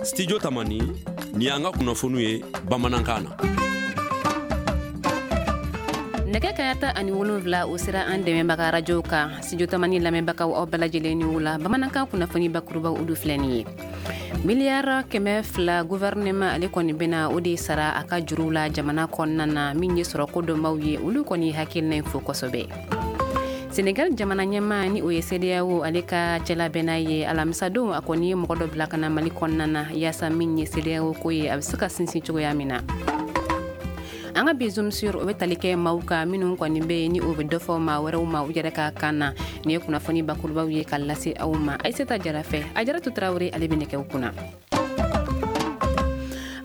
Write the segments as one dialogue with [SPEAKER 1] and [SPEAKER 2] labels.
[SPEAKER 1] Studio Tamani, nin y'an ka kunnafoniw ye bamanankan na.
[SPEAKER 2] Nɛgɛ kanɲɛ 17, o sera an dɛmɛbaga arajow kan. Studio Tamani lamɛnbagaw, aw bɛɛ lajɛlen ni wula. Bamanankan kunnafoni bakurubaw, olu filɛ nin ye. Miliyari 200, gouvernement ale kɔni bɛna o de sara a ka juruw la jamana kɔnɔna na. Min ye sɔrɔko dɔnbaw ye, olu kɔni hakilina in fo kosɛbɛ. Senegal jamana ɲɛma, ni o ye CEDEAO ale ka cɛlabɛnna ye, alamisadon a kɔni ye mɔgɔ dɔ bila ka na Mali kɔnɔna na, yaasa min ye CEDEAO ko ye, a bɛ se ka sinsin cogoya min na. An ka bi Zoom sur, o bɛ tali kɛ maaw kan minnu kɔni bɛ yen, ni o bɛ dɔ fɔ maa wɛrɛw ma u yɛrɛ ka kan na. Nin ye kunnafoni bakurubaw ye ka lase aw ma Ayisata Jara fɛ. Ajaratu Tarawele, ale bɛ nɛgɛw kunna.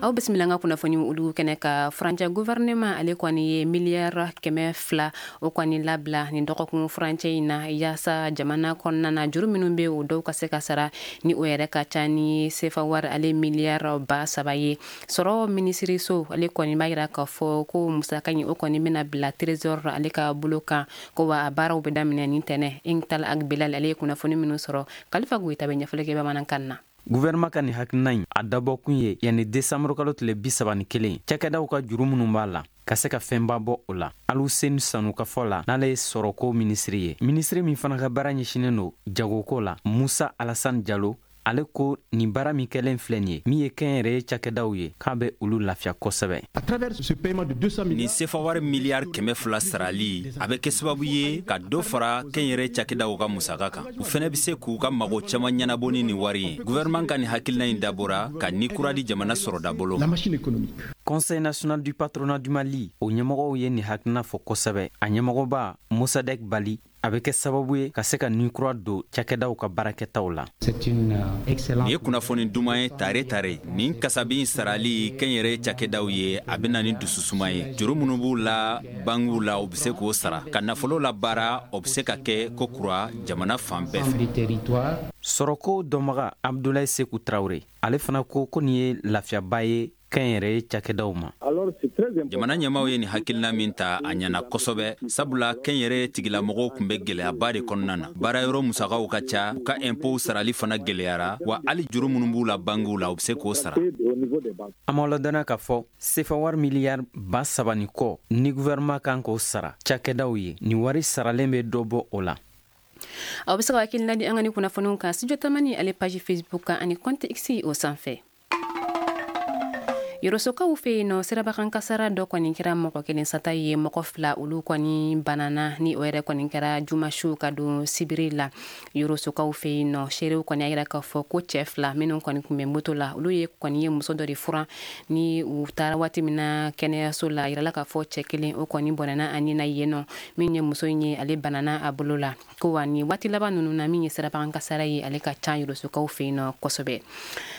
[SPEAKER 2] Aw bisimila an ka kunnafoni olu kɛnɛ ka. Furancɛ gouvernement ale kɔni ye miliyari 200, o kɔni labila nin dɔgɔkun furancɛ in na, yaasa jamana kɔnɔna na, juru minnu bɛ, o dɔw ka se ka sara, ni o yɛrɛ ka ca ni sefa wari ale miliyari 3000 ye. Sɔrɔ minisiriso ale kɔni b'a yira k'a fɔ ko musaka in, o kɔni bɛna bila Trésor ale ka bolo kan, ko wa a baaraw bɛ daminɛ nin tɛnɛ. Intal Ag Bilal ale ye kunnafoni minnu sɔrɔ, Kalifa Goyita bɛ ɲɛfɔli kɛ bamanankan na.
[SPEAKER 3] Gouvernement ka nin hakilina in, a dabɔkun ye yanni desanburu kalo tile 31, cakɛdaw ka juru minnu b'a la, ka se ka fɛnba bɔ o la. Aluseni Sanu ka fɔ la, n'ale ye sɔrɔko minisiri ye, minisiri min fana ka baara ɲɛsinen don jagoko la, Musa Alasani Jalo, ale ko nin baara min kɛlen filɛ nin ye, min ye kɛnyɛrɛye cakɛdaw ye, k'a bɛ olu lafiya kosɛbɛ.
[SPEAKER 4] Nin sefa wari miliyari 200 sarali, a bɛ kɛ sababu ye ka dɔ fara kɛnyɛrɛ cakɛdaw ka musaka kan. U fɛnɛ bɛ se k'u ka mago caman ɲɛnabɔ ni nin wari ye. Gouvernement ka nin hakilina in dabɔra ka ni kura di jamana sɔrɔda bolo.
[SPEAKER 3] Conseil national du patronat du Mali, o ɲɛmɔgɔw ye nin hakilina fɔ kosɛbɛ. A ɲɛmɔgɔba Mosadek Bali, a bɛ kɛ sababu ye ka se ka nin kura don cakɛdaw ka baarakɛtaw la.
[SPEAKER 4] Nin ye kunnafoni duman ye tare tare. Nin kasabi in sarali kɛnyɛrɛ cakɛdaw ye, a bɛ na ni dususuma ye. Juru minnu b'u la bankiw la, u bɛ se k'o sara ka nafolo la baara. O bɛ se ka kɛ ko kura jamana fan bɛɛ fɛ.
[SPEAKER 3] Sɔrɔko dɔnbaga Abdulayi Seku Tarawele, ale fana ko ko nin ye lafiyaba ye kɛnyɛrɛye cakɛdaw ma.
[SPEAKER 4] Jamana ɲɛmaw ye nin hakilina min ta, a ɲɛna kosɛbɛ, sabula kɛnyɛrɛ tigilamɔgɔw tun bɛ gɛlɛyaba de kɔnɔna na. Baarayɔrɔ musakaw ka ca, u ka impôts sarali fana gɛlɛyara, wa hali juru minnu b'u la bankiw la, u bɛ se k'o sara.
[SPEAKER 3] An m'aw ladɔnniya k'a fɔ sefa wari miliyari 3000 ni kɔ ni gouvernement kan k'o sara cakɛdaw ye, nin wari saralen bɛ dɔ bɔ o la.
[SPEAKER 2] Aw bɛ se ka hakilina di an ka ni kunnafoniw kan Studio Tamani ale page Facebook kan ani compte X o sanfɛ. Yɔrɔsokaw fɛ yen nɔ, sirabakan kasara dɔ kɔni kɛra mɔgɔ kelen sata ye, mɔgɔ fila olu kɔni banana, ni o yɛrɛ kɔni kɛra jumasiw ka don sibiri la Yɔrɔsokaw fɛ yen nɔ. Seerew kɔni y'a yira k'a fɔ ko cɛ fila minnu kɔni tun bɛ moto la, olu ye kɔni ye muso dɔ de furan. Ni u taara waati min na kɛnɛyaso la, a yirala k'a fɔ cɛ kelen, o kɔni bɔnɛna a ni na yen nɔ. Min ye muso in ye, ale banana a bolo la. Ko wa ni waati laban ninnu na, min ye sirabakan kasara ye, ale ka ca Yɔrɔsokaw fɛ yen nɔ kosɛbɛ.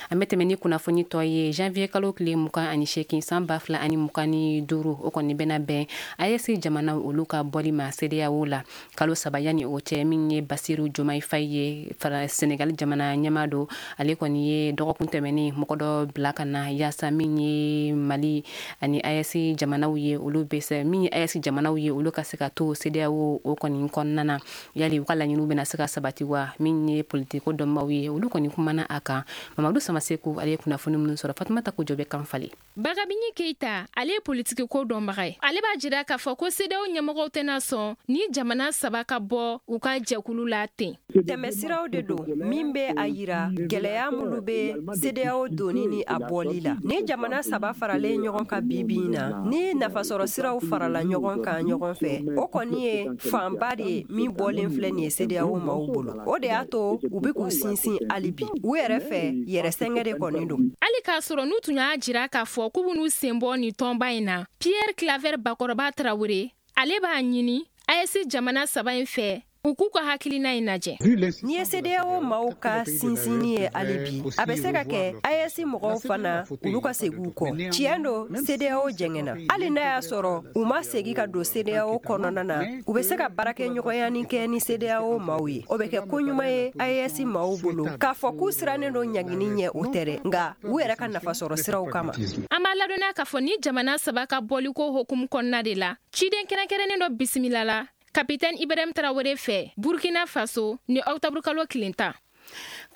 [SPEAKER 2] An bɛ tɛmɛ ni kunnafoni tɔ ye. Janvier kalo tile 28 san 2025, o kɔni bɛna bɛn AES jamanaw olu ka bɔli ma CEDEAO la. Kalo 3 yanni o cɛ, min ye Basiru Jomayi Fayi ye, fara Senegal jamana ɲɛmaa don, ale kɔni ye dɔgɔkun tɛmɛnen mɔgɔ dɔ bila ka na, yaasa min ye Mali ani AES jamanaw ye, olu bɛ se min ye AES jamanaw ye, olu ka se ka to CEDEAO o kɔni kɔnɔna na. Yali u ka laɲiniw bɛna se ka sabati wa? Min ye politiko dɔnbaw ye, olu kɔni kumana a kan. Mamadu Samaseku ale ye kunnafoni minnu sɔrɔ, Fatumata Kojo bɛ kan falen.
[SPEAKER 5] Bagabini Keita, ale ye politiki ko dɔnbaga ye. Ale b'a jira k'a fɔ ko CEDEAO ɲɛmɔgɔw tɛna sɔn ni jamana saba ka bɔ u ka jɛkulu la ten.
[SPEAKER 6] Tɛmɛsiraw de don min bɛ a yira gɛlɛya minnu bɛ CEDEAO donni ni a bɔli la. Ni jamana saba faralen ɲɔgɔn kan bi bi in na, ni nafasɔrɔ siraw farala ɲɔgɔn kan ɲɔgɔn fɛ, o kɔni ye fanba de ye min bɔlen filɛ nin ye CEDEAO maaw bolo. O de y'a to u bɛ k'u sinsin hali bi u yɛrɛ fɛ, yɛrɛ sɛgɛn de kɔni don.
[SPEAKER 5] Hali k'a sɔrɔ n'u tun y'a jira k'a fɔ k'u b'u sen bɔ nin tɔnba in na, Pierre Claver Bakɔrɔba Tarawele, ale b'a ɲini AES jamana saba in fɛ, u k'u ka hakilina in lajɛ.
[SPEAKER 6] N'i ye CEDEAO maaw ka sinsinni ye hali bi, a bɛ se ka kɛ AES mɔgɔw fana, olu ka segin u kɔ. Tiɲɛ don, CEDEAO jɛngɛnna. Hali n'a y'a sɔrɔ u ma segin ka don CEDEAO kɔnɔna na, u bɛ se ka baarakɛɲɔgɔnya kɛ ni CEDEAO maaw ye. O bɛ kɛ ko ɲuman ye AES maaw bolo. K'a fɔ k'u sirannen don ɲangini ɲɛ, o tɛ dɛ, nka u yɛrɛ ka nafasɔrɔ siraw kama.
[SPEAKER 5] An b'a ladɔnniya k'a fɔ ni jamana saba ka bɔliko hokumu kɔnɔna de la, ciden kɛrɛnkɛrɛnnen dɔ bisimila la Kapitɛni Ibrahim Tarawele fɛ Burkina Faso ni ɔkutɔburukalo tile 10.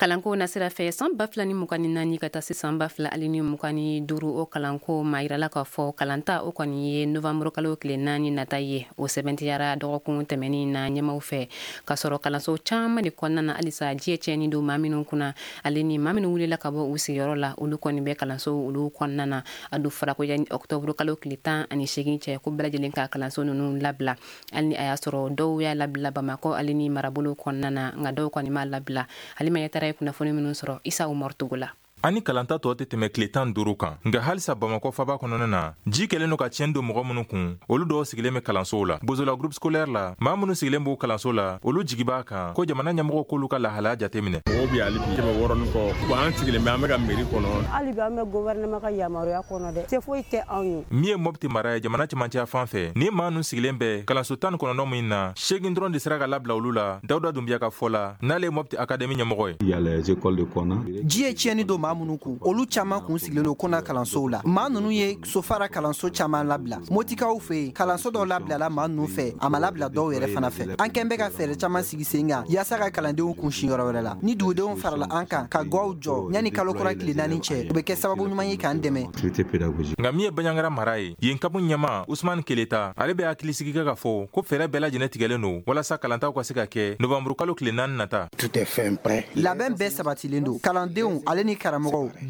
[SPEAKER 2] Kalanko nasira fɛ, san 2024 ka taa se san 2025, o kalanko ma yirala k'a fɔ kalanta o kɔni ye novanburu kalo tile 4 nata ye. O sɛbɛntiyara dɔgɔkun tɛmɛnin na ɲɛmaw fɛ, k'a sɔrɔ kalanso caman de kɔnɔna na halisa ji ye tiɲɛni don maa minnu kunna, ale ni maa minnu wulila ka bɔ u sigiyɔrɔ la, olu kɔni bɛ kalanso olu kɔnɔna na. A dun fɔra ko yanni ɔkutɔburu kalo tile 18 cɛ, ko bɛɛ lajɛlen ka kalanso ninnu labila, hali ni a y'a sɔrɔ dɔw y'a labila Bamakɔ ale ni marabolo kɔnɔna na, nka dɔw kɔni m'a labila. Halima Yatara ye kunnafoni minnu sɔrɔ Isa Umaru Togo la.
[SPEAKER 7] Ani kalanta tɔ tɛ tɛmɛ tile 15 kan, nka halisa Bamakɔ faba kɔnɔna na, ji kɛlen don ka tiɲɛ don mɔgɔ minnu kun, olu dɔw sigilen bɛ kalansow la. Bozola groupe scolaire la, maa minnu sigilen b'o kalanso la, olu jigi b'a kan ko jamana ɲɛmɔgɔw k'olu ka lahalaya jateminɛ.
[SPEAKER 8] Mɔgɔw bɛ hali bi 600 ni kɔ, bon an sigilen bɛ, an bɛ ka mairie kɔnɔ.
[SPEAKER 9] Hali bi an bɛ gouvernement ka yamaruya kɔnɔ dɛ, se foyi tɛ anw ye.
[SPEAKER 7] Min ye Mopti mara ye jamana cɛmancɛ fan fɛ, ni maa ninnu sigilen bɛ kalanso 19 min na, 8 dɔrɔn de sera ka labila olu la. Dawuda Dunbiya ka fɔ la, n'ale ye Mopti académie ɲɛmɔgɔ
[SPEAKER 10] ye. Ji ye tiɲɛni don maa minnu kun, olu caman kun sigilen don Kona kalansow la. Maa ninnu ye Sofara kalanso caman labila. Motikaw fɛ yen, kalanso dɔw labilala maa ninnu fɛ, a ma labila dɔw yɛrɛ fana fɛ. An kɛn bɛ ka fɛɛrɛ caman sigi sen kan yaasa ka kalandenw kun sin yɔrɔ wɛrɛ la. Ni dugudenw farala an kan ka gaw jɔ yanni kalo kura tile 4 cɛ, o bɛ kɛ sababu ɲuman ye k'an dɛmɛ.
[SPEAKER 7] Nka min ye Banjagara mara ye, yen CAP ɲɛmaa Usumani Keleta, ale bɛ hakilisigi kɛ k'a fɔ ko fɛɛrɛ bɛɛ lajɛlen tigɛlen don walasa kalantaw ka se ka kɛ novanburu kalo tile 4 nata.
[SPEAKER 10] Labɛn bɛɛ sabatilen don, kalandenw ale ni karamɔgɔw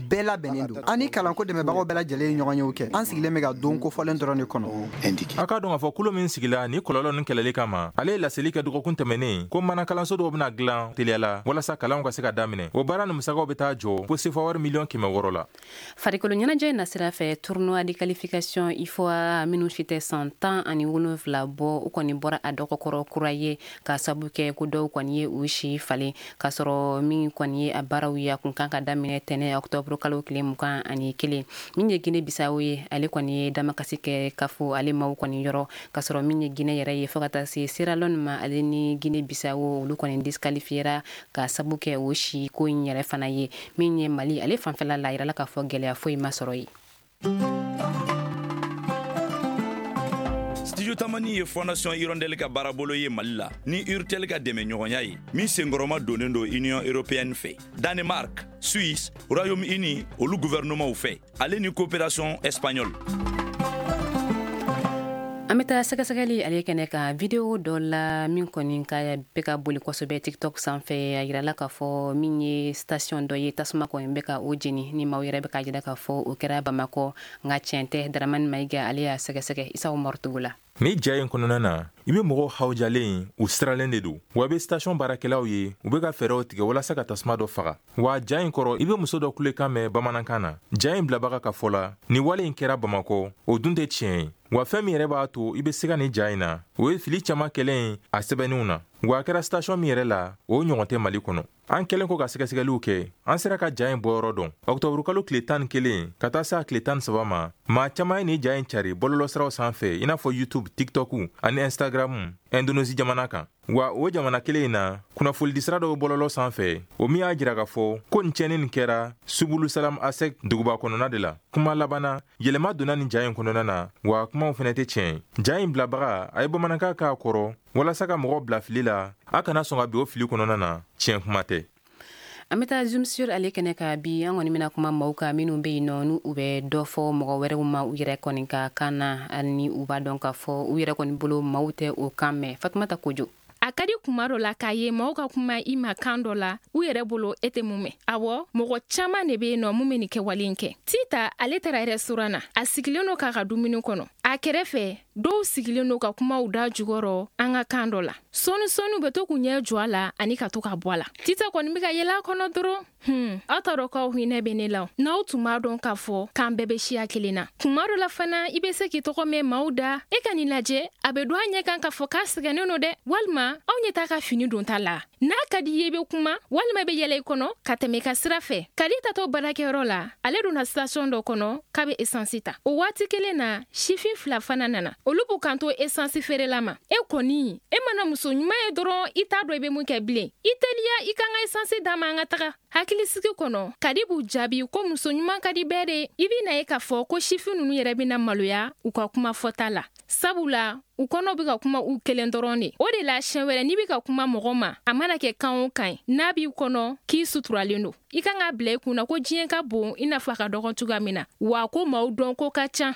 [SPEAKER 10] bɛɛ labɛnnen don. An ni kalanko dɛmɛbagaw bɛɛ lajɛlen ye ɲɔgɔnyew kɛ. An sigilen bɛ ka don kofɔlen dɔrɔn de kɔnɔ.
[SPEAKER 7] A k'a dɔn k'a fɔ kulo min sigila ni kɔlɔlɔ ninnu kɛlɛli kama, ale ye laseli kɛ dɔgɔkun tɛmɛnen ko mana kalanso dɔw bɛna dilan teliya la walasa kalanw ka se ka daminɛ. O baara ni musakaw bɛ taa jɔ fo sefa wari miliyɔn 600 la.
[SPEAKER 2] Farikolo ɲɛnajɛ nasira fɛ, tournoi de qualification UFOA minnu si tɛ san 17 bɔ, u kɔni bɔra a dɔgɔkɔrɔ kura ye ka sabu kɛ ko dɔw kɔni ye u si falen, k'a sɔrɔ min kɔni ye a baaraw ye a kun kan ka daminɛ tɛnɛ ɔkutɔburu kalo tile 21. Min ye Guinée Bissau ye, ale kɔni ye damakasi kɛ kafo ale maaw kɔni yɔrɔ, k'a sɔrɔ min ye Guinée yɛrɛ ye fo ka taa se Sierra Leone ma, ale ni Guinée Bissau olu kɔni disqualifiera ka sabu kɛ o si ko in yɛrɛ fana ye. Min ye Mali ale fanfɛla la, a yirala k'a fɔ gɛlɛya foyi ma sɔrɔ yen.
[SPEAKER 11] Studio Tamani ye Fondation Hirondelle ka baarabolo ye Mali la ni Urtel ka dɛmɛɲɔgɔnya ye min senkɔrɔma donnen don Union européenne fɛ, Danemark, Suisse, Royaume-Uni olu gouvernementw fɛ, ale ni coopération espagnole.
[SPEAKER 2] An bɛ taa sɛgɛsɛgɛli ale kɛnɛ kan video dɔ la min kɔni ka bɛ ka boli kosɛbɛ TikTok sanfɛ. A yirala k'a fɔ min ye station dɔ ye, tasuma kɔni bɛ ka o jeni, ni maaw yɛrɛ bɛ k'a jira k'a fɔ o kɛra Bamakɔ, nka tiɲɛ tɛ. Daramani Mayiga ale y'a sɛgɛsɛgɛ Isa Umaru Togo la.
[SPEAKER 7] Ni ja in kɔnɔna na, i bɛ mɔgɔw hawujalen, u siralen de don, wa i bɛ station baarakɛlaw ye, u bɛ ka fɛɛrɛw tigɛ walasa ka tasuma dɔ faga. Wa ja in kɔrɔ, i bɛ muso dɔ kulekan mɛn bamanankan na. Ja in bilabaga ka fɔ la, nin wale in kɛra Bamakɔ, o dun tɛ tiɲɛ ye. Wa fɛn min yɛrɛ b'a to i bɛ siga nin ja in na, o ye fili caman kɛlen a sɛbɛnniw na. Wa a kɛra station min yɛrɛ la, o ɲɔgɔn tɛ Mali kɔnɔ. An kɛlen kɔ ka sɛgɛsɛgɛliw kɛ, an sera ka ja in bɔyɔrɔ dɔn. Ɔkutɔburukalo tile 11 ka taa se a tile 13 ma, maa caman ye nin ja in cari bɔlɔlɔsiraw sanfɛ i n'a fɔ YouTube, TikTok ani Instagram Indonésie jamana kan. Wa o jamana kelen in na, kunnafonidisira dɔw bɔlɔlɔ sanfɛ, o min y'a jira k'a fɔ ko nin tiɲɛni nin kɛra Subulu Salam Asek duguba kɔnɔna de la. Kuma laban na, yɛlɛma donna nin ja in kɔnɔna na, wa kumaw fɛnɛ tɛ tiɲɛ ye. Ja in bilabaga a ye bamanankan k'a kɔrɔ walasa ka mɔgɔw bila fili la, a kana sɔn ka bin o fili kɔnɔna na, tiɲɛ kuma tɛ.
[SPEAKER 2] An bɛ taa zoom sur ale kɛnɛ kan bi. An kɔni bɛna kuma maaw kan minnu bɛ yen nɔ, n'u u bɛ dɔ fɔ mɔgɔ wɛrɛw ma u yɛrɛ kɔni ka kan na, hali ni u b'a dɔn k'a fɔ u yɛrɛ kɔni bolo maaw tɛ o kan mɛn. Fatumata Kojo.
[SPEAKER 5] A ka di kuma dɔ la k'a ye maaw ka kuma i ma kan dɔ la u yɛrɛ bolo e tɛ mun mɛn. Awɔ, mɔgɔ caman de bɛ yen nɔ mun bɛ nin kɛwale in kɛ. Tita ale taara restaurant na, a sigilen don k'a ka dumuni kɔnɔ. A kɛrɛfɛ dɔw sigilen don ka kumaw da jukɔrɔ an ka kan dɔ la. Sɔɔni sɔɔni u bɛ to k'u ɲɛ jɔ a la ani ka to ka bɔ a la. Tita kɔni bɛ ka yɛlɛ a kɔnɔ dɔrɔn. Aw t'a dɔn k'aw hinɛ bɛ ne la. N'aw tun b'a dɔn k'a fɔ k'an bɛɛ bɛ siya kelen na. Kuma dɔ la fana i bɛ se k'i tɔgɔ mɛn maaw da. E ka nin lajɛ, a bɛ don a ɲɛ kan k'a fɔ k'a sɛgɛnnen don dɛ. Walima aw ɲɛ t'a ka fini don ta la. N'a ka di i ye i bɛ kuma, walima i bɛ yɛlɛ i kɔnɔ ka tɛmɛ i ka sira fɛ. Kadi tatɔ baarakɛyɔrɔ la, ale donna station dɔ kɔnɔ k'a bɛ essence ta. O waati kelen na, sifin fila fana nana. Olu b'u kanto esansi feerela ma, e kɔni e mana muso ɲuman ye dɔrɔn, i t'a dɔn i bɛ mun kɛ bilen. I teliya, i kan ka esansi d'a ma, an ka taga. Hakilisigi kɔnɔ, Kadi b'u jaabi ko muso ɲuman ka di bɛɛ de. I bɛ na ye k'a fɔ ko sifin ninnu yɛrɛ bɛna maloya u ka kuma fɔta la, sabula u kɔnɔ bɛ ka kuma u kelen dɔrɔn de. O de la, siɲɛ wɛrɛ n'i bɛ ka kuma mɔgɔ ma, a mana kɛ kan o kan ye, n'a b'i kɔnɔ k'i suturalen don, i kan k'a bila i kunna ko diɲɛ ka bon i n'a fɔ a ka dɔgɔn cogoya min na, wa ko maaw dɔn ko ka ca.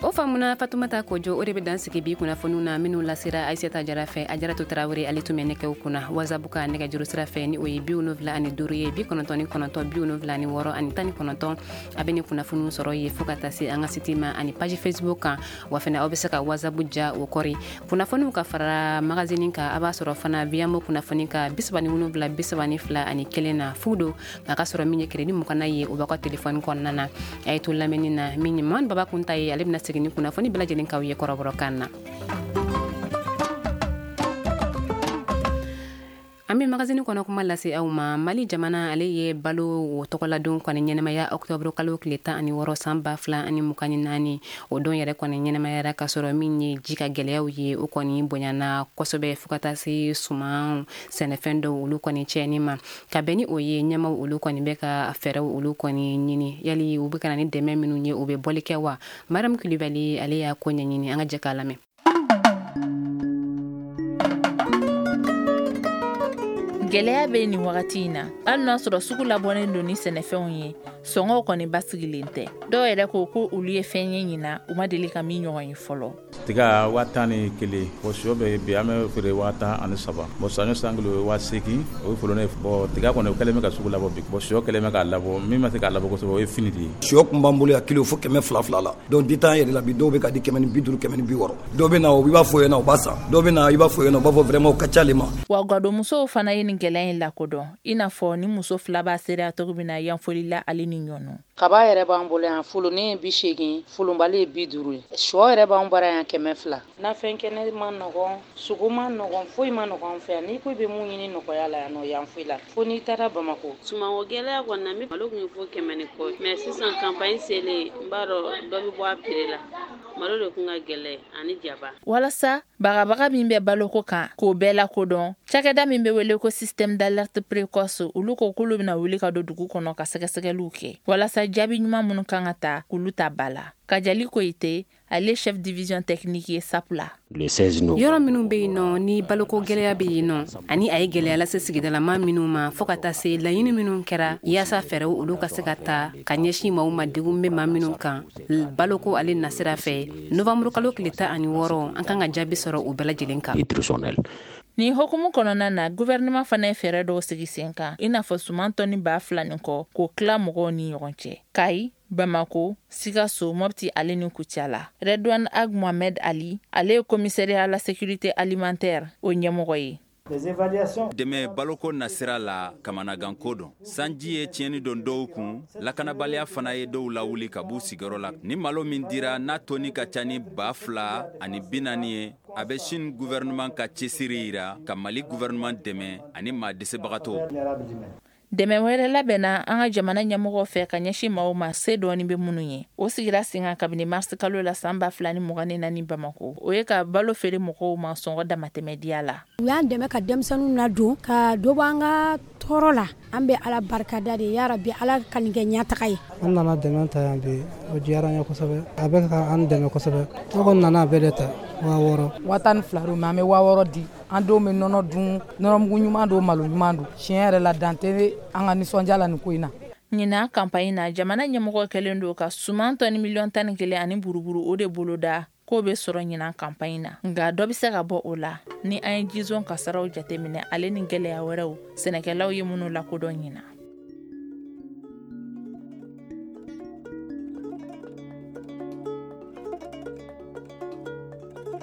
[SPEAKER 2] O faamuna, Fatumata Kojo. O de bɛ dan sigi bi kunnafoniw na minnu lasera Ayisata Jara fɛ. A Jaratu Tarawele, ale tun bɛ nɛgɛw kunna. WhatsApp ka nɛgɛjuru sira fɛ, ni o ye 75 ye, 99 76 19. A bɛ ni kunnafoniw sɔrɔ ye fo ka taa se an ka site ma ani page Facebook kan. Wa fana, aw bɛ se ka WhatsApp ja o kɔri. Kunnafoniw ka fara magazine kan, a b'a sɔrɔ fana Viyamo kunnafoni ka 37 32 ani 1 na fu don. Nka ka sɔrɔ min ye crédit 20 ye, o b'aw ka téléphone kɔnɔna na. A ye to lamɛnni na. Min ye Mamadu Baba Kunta ye, ale bɛna segin ni kunnafoni bɛɛ lajɛlen k'aw ye kɔrɔbɔrɔkan na. An bɛ magazine kɔnɔ kuma lase aw ma. Mali jamana, ale ye balo o tɔgɔladon kɔni ɲɛnamaya octobre kalo tile 16 san 2024. O don yɛrɛ kɔni ɲɛnamayara ka sɔrɔ min ye ji ka gɛlɛyaw ye, o kɔni bonyana kosɛbɛ fo ka taa se suman sɛnɛfɛn dɔw olu kɔni tiɲɛni ma. Ka bɛn ni o ye, ɲɛmaw olu kɔni bɛ ka fɛɛrɛw olu kɔni ɲini. Yali u bɛ ka na ni dɛmɛ minnu ye, u bɛ bɔli kɛ wa? Mariam Kulibali, ale y'a ko ɲɛɲini. An ka jɛ k'a lamɛn.
[SPEAKER 12] Gɛlɛya bɛ nin wagati in na. Hali n'a sɔrɔ sugu labɔnen don ni sɛnɛfɛnw ye, sɔngɔw kɔni basigilen tɛ. Dɔw yɛrɛ ko ko olu ye fɛn ye ɲina, u ma deli ka min ɲɔgɔn ye fɔlɔ.
[SPEAKER 13] Tiga 11,000. Bon, sɔ bɛ bi, an bɛ feere 13,000. Bon, saɲɔ san kilo ye 8000, o ye folonnen. Bon, tiga kɔni, o kɛlen bɛ ka sugu labɔ bi. Bon, sɔ kɛlen bɛ k'a labɔ. Min ma se k'a labɔ kosɛbɛ, o ye fini de ye.
[SPEAKER 14] Sɔ kun b'an bolo yan kilo fo 200 la. Donc détaillant yɛrɛ la bi, dɔw bɛ ka di 150, 160. Dɔw bɛ na, i b'a fɔ ɲɛna, u b'a san. Dɔw bɛ na, i b'a fɔ ɲɛna, u b'a fɔ vraiment o ka ca le ma.
[SPEAKER 12] Wa gadonmusow fana ye nin gɛlɛya in lakodɔn, i n'a fɔ ni muso fila b'a seereya cogo min na Yanfolila ale ni Ɲɔnɔ.
[SPEAKER 15] Kaba yɛrɛ b'an bolo yan, folonin ye 80, folonbali ye 50 ye. Sɔ yɛrɛ b'an bara yan 200. Nafɛn kɛnɛ ma nɔgɔn, sogo ma nɔgɔn, foyi ma nɔgɔn an fɛ yan. N'i ko i bɛ mun ɲini nɔgɔya la yan nɔ, yan foyi la, fo n'i taara Bamako.
[SPEAKER 16] Sumanko gɛlɛya kɔni na, malo tun ye fo 100 ni kɔ, mais sisan campagne selen, n b'a dɔn dɔ bɛ bɔ a prix la. Malo de kun ka gɛlɛn ani jaba.
[SPEAKER 12] Walasa bagabaga min bɛ baloko kan, k'o bɛɛ lakodɔn, cakɛda min bɛ wele ko système d'alerte précoce, olu ko k'olu bɛna wuli ka don dugu kɔnɔ ka sɛgɛsɛgɛliw kɛ walasa jaabi ɲuman minnu kan ka ta, k'olu ta ba la. Kajali Koyite, ale chef division technique ye SAP la.
[SPEAKER 2] Yɔrɔ minnu bɛ yen nɔ ni baloko gɛlɛya bɛ yen nɔ, ani a ye gɛlɛya lase sigidalama minnu ma, fo ka taa se laɲini minnu kɛra yaasa fɛɛrɛw olu ka se ka ta ka ɲɛsin maaw ma, degun bɛ maa minnu kan baloko ale nasira fɛ, novembre kalo tile 16, an kan ka jaabi sɔrɔ o bɛɛ lajɛlen kan.
[SPEAKER 12] Nin hokumu kɔnɔna na, gouvernement fana ye fɛɛrɛ dɔw sigi sen kan, i n'a fɔ suman tɔni 2000 ni kɔ, k'o tila mɔgɔw ni ɲɔgɔn cɛ Kayi, Bamako, Sikaso, Mopti ale ni Kucala. Redouane Ag Mohamed Ali, ale ye commissariat à la sécurité alimentaire o ɲɛmɔgɔ ye.
[SPEAKER 4] Dɛmɛ baloko nasira la, kamanaganko don. Sanji ye tiɲɛni don dɔw kun, lakanabaliya fana ye dɔw lawuli ka b'u sigiyɔrɔ la. Ni malo min dira, n'a toni ka ca ni 2040 ye, a bɛ Chine gouvernement ka cɛsiri yira ka Mali gouvernement dɛmɛ ani maa dɛsɛbagatɔw.
[SPEAKER 12] Dɛmɛ wɛrɛ labɛnna an ka jamana ɲɛmɔgɔ fɛ ka ɲɛsin maaw ma, se dɔɔni bɛ minnu ye. O sigira sen kan kabini mars kalo la san 2024 Bamako. O ye ka balo feere mɔgɔw ma sɔngɔ damatɛmɛdiya la.
[SPEAKER 17] U y'an dɛmɛ ka denmisɛnninw ladon, ka dɔ bɔ an ka tɔɔrɔ la. An bɛ Ala barikada de, yarabi Ala ka nin kɛ ɲɛtaga ye.
[SPEAKER 18] An nana dɛmɛ ta yan bi, o diyara an ye kosɛbɛ. A bɛ ka an dɛmɛ kosɛbɛ. An kɔni nana a bɛɛ de ta 6000.
[SPEAKER 19] 12,000 don, mais an bɛ 6000 di. An denw bɛ nɔnɔ dun, nɔnɔmugu ɲuman don, malo ɲuman don. Tiɲɛ yɛrɛ la, dan tɛ an ka nisɔndiya la nin ko in na.
[SPEAKER 12] Ɲinan campagne na, jamana ɲɛmɔgɔ kɛlen don ka suman tɔni 11 miliyɔn ani buruburu, o de boloda k'o bɛ sɔrɔ ɲinan campagne na. Nka dɔ bɛ se ka bɔ o la ni an ye jizon kasaraw jateminɛ, ale ni gɛlɛya wɛrɛw sɛnɛkɛlaw ye minnu lakodɔn ɲinan.